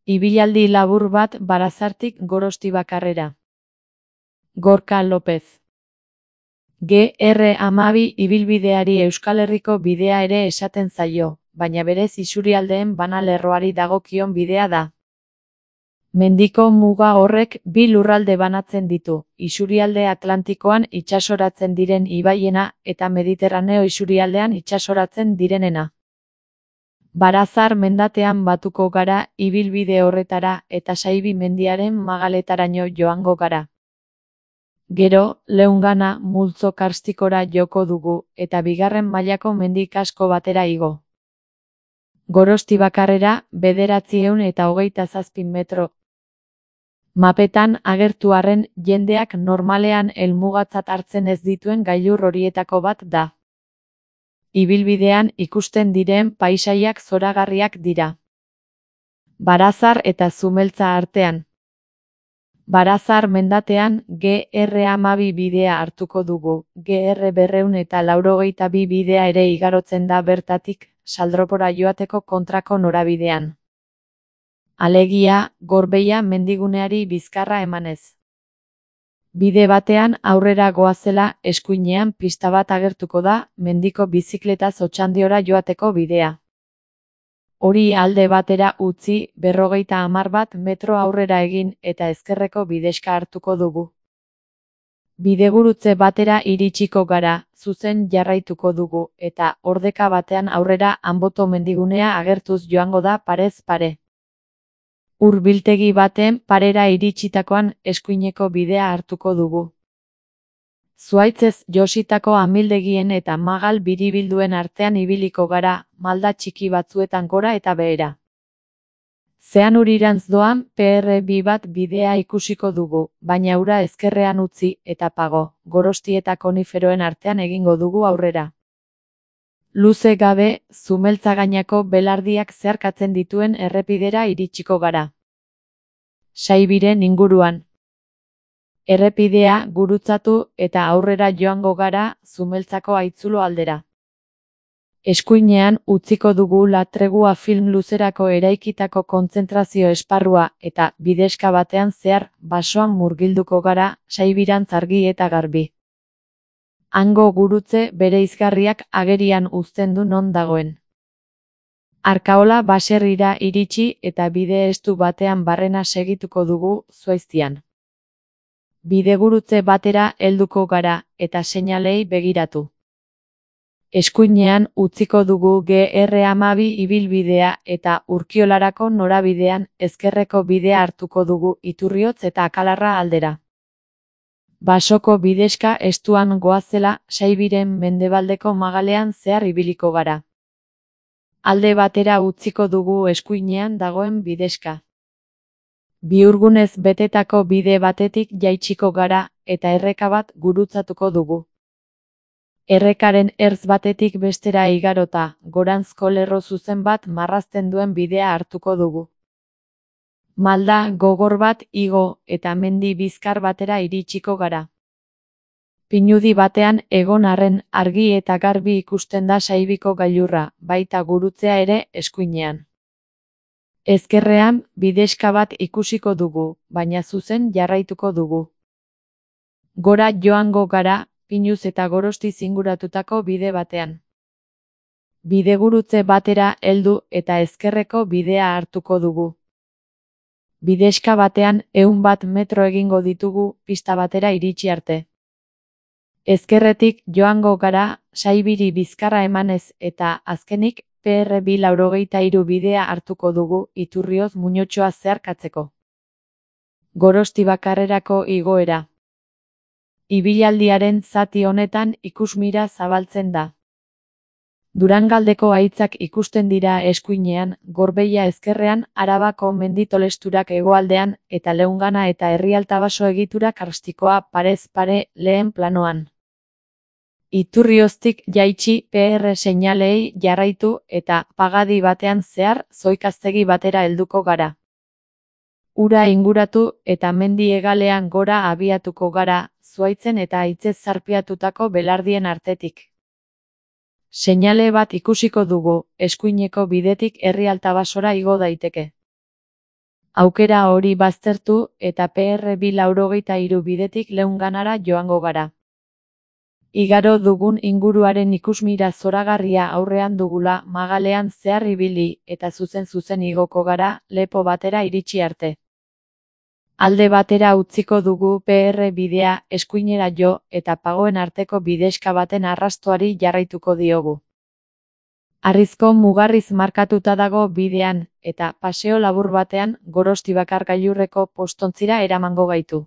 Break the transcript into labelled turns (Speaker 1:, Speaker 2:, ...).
Speaker 1: Ibilaldi labur bat Barazartik Gorostibakarrera. Gorka Lopez. GR12 ibilbideari Euskal Herriko bidea ere esaten zaio, baina berez isurialdeen banalerroari dagokion bidea da. Mendiko muga horrek bi lurralde banatzen ditu, isurialde Atlantikoan itsasoratzen diren ibaiena eta Mediterraneo isurialdean itsasoratzen direnena. Barazar mendatean batuko gara ibilbide horretara eta Saibi mendiaren magaletaraino joango gara. Gero, Leungana multzo karstikora joko dugu eta bigarren mailako mendi kasko batera igo. Gorostibakarrera 927 metro. Mapetan agertu arren jendeak normalean helmugatzat hartzen ez dituen gailur horietako bat da. Ibilbidean ikusten diren paisaiak zoragarriak dira. Barazar eta Zumeltza artean. Barazar mendatean GR12 bidea hartuko dugu, GR282 bidea ere igarotzen da bertatik, Saldropora joateko kontrako norabidean. Alegia, Gorbeia mendiguneari bizkarra emanez. Bide batean aurrera goazela eskuinean pista bat agertuko da, mendiko bizikletaz Otxandiora joateko bidea. Hori alde batera utzi 50 metro aurrera egin eta ezkerreko bidexka hartuko dugu. Bidegurutze batera iritsiko gara, zuzen jarraituko dugu, eta ordeka batean aurrera Anboto mendigunea agertuz joango da parez pare. Hurbiltegi baten parera iritsitakoan eskuineko bidea hartuko dugu. Zuhaitzez jositako amildegien eta magal biribilduen artean ibiliko gara, malda txiki batzuetan gora eta behera. Zeanurirantz doan PR2 bat bidea ikusiko dugu, baina ura ezkerrean utzi eta pago, Gorosti eta Koniferoen artean egingo dugu aurrera. Luze gabe, Zumeltza gainako belardiak zeharkatzen dituen errepidera iritsiko gara. Saibiren inguruan. Errepidea gurutzatu eta aurrera joango gara Zumeltzako haitzulo aldera. Eskuinean utziko dugu La Tregua film luzerako eraikitako kontzentrazio esparrua eta bidexka batean zehar basoan murgilduko gara Saibirantz argi eta garbi. Hango gurutze bereizgarriak agerian uzten du non dagoen. Arkaola baserrira iritsi eta bide estu batean barrena segituko dugu Zuaiztian. Bidegurutze batera helduko gara eta seinalei begiratu. Eskuinean utziko dugu GR12 ibilbidea eta Urkiolarako norabidean ezkerreko bidea hartuko dugu Iturriotz eta Akalarra aldera. Basoko bidexka estuan goazela Saibiren mendebaldeko magalean zehar ibiliko gara. Alde batera utziko dugu eskuinean dagoen bidexka. Bihurgunez betetako bide batetik jaitsiko gara eta erreka bat gurutzatuko dugu. Errekaren ertz batetik bestera igarota, goranzko lerro zuzen bat marrazten duen bidea hartuko dugu. Malda gogor bat igo eta mendi bizkar batera iritsiko gara. Pinudi batean egon arren argi eta garbi ikusten da Saibiko gailurra, baita gurutzea ere eskuinean. Ezkerrean bidexka bat ikusiko dugu, baina zuzen jarraituko dugu. Gora joango gara, Pinuz eta Gorosti zinguratutako bide batean. Bidegurutze batera heldu eta ezkerreko bidea hartuko dugu. Bidexka batean 100 metro egingo ditugu pista batera iritsi arte. Ezkerretik joango gara Saibiri bizkarra emanez eta azkenik PR283 bidea hartuko dugu Iturrioz Muñotxoa zeharkatzeko. Gorostibakarrerako igoera. Ibilaldiaren zati honetan ikusmira zabaltzen da. Durangaldeko haitzak ikusten dira eskuinean, Gorbeia ezkerrean, Arabako menditolesturak hegoaldean eta Leungana eta Herrialtabaso egitura karstikoa parez pare lehen planoan. Iturrioztik jaitsi PR seinalei jarraitu eta pagadi batean zehar Zoikaztegi batera helduko gara. Ura inguratu eta mendi hegalean gora abiatuko gara, zuhaitzen eta haitzez zarpiatutako belardien artetik. Seinale bat ikusiko dugu, eskuineko bidetik Herrialtabasora igo daiteke. Aukera hori baztertu eta PR283 bidetik Leunganara joango gara. Igaro dugun inguruaren ikusmira zoragarria aurrean dugula magalean zehar ibili eta zuzen igoko gara lepo batera iritsi arte. Alde batera utziko dugu PR bidea eskuinera jo eta pagoen arteko bidexka baten arrastoari jarraituko diogu. Harrizko mugarriz markatuta dago bidean eta paseo labur batean Gorostibakar gailurreko postontzira eramango gaitu.